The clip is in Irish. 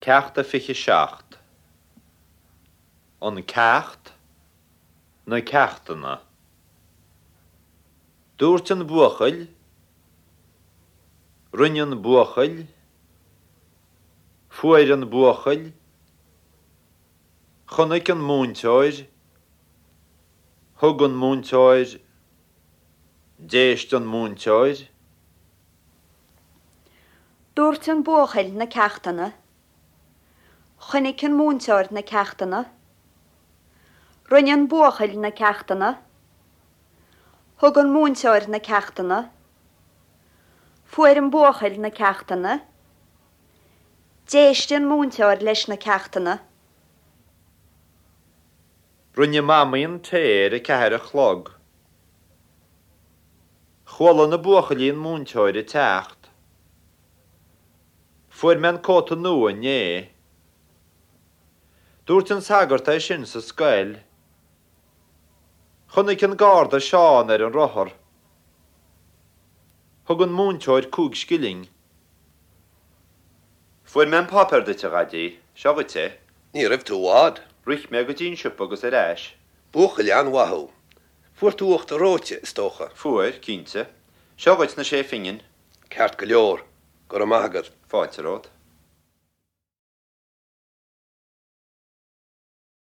Ceacht a 27. An Ceacht, Na Ceachtanna. Dúirt an buachaill, Rinne an buachaill, Fuair an buachaill, Chonaic an múinteoir, Thug an múinteoir, D'éist an múinteoir. Dúirt an buachaill na ceachtanna. Chonaic an múinteoir na ceachtanna. Rinne an buachaill na ceachtanna. Thug an múinteoir na ceachtanna. Fuair an buachaill na ceachtanna. D'éist an múinteoir leis na ceachtanna. Rinne Mamaí an tae ar a ceathair a chlog. Chuala na buachaillí an múinteoir ag teacht. Fuair mé an cóta nua inné. Dúirt an sagart é sin sa scoil. Chonaic an garda Seán ar an rothar. Thug an múinteoir 5 scilling. Fuair mé an páipéar duit, a Dhaidí. Seo dhuit é. Ní raibh tú i bhfad. Rith mé go dtí an siopa agus ar ais. Buachaill an-mhaith thú. Fuair tú uachtar reoite, is dócha? Fuair, cinnte. Seo dhuit na sé phingin. Ceart go leor. Go raibh maith agat. Fáilte romhat.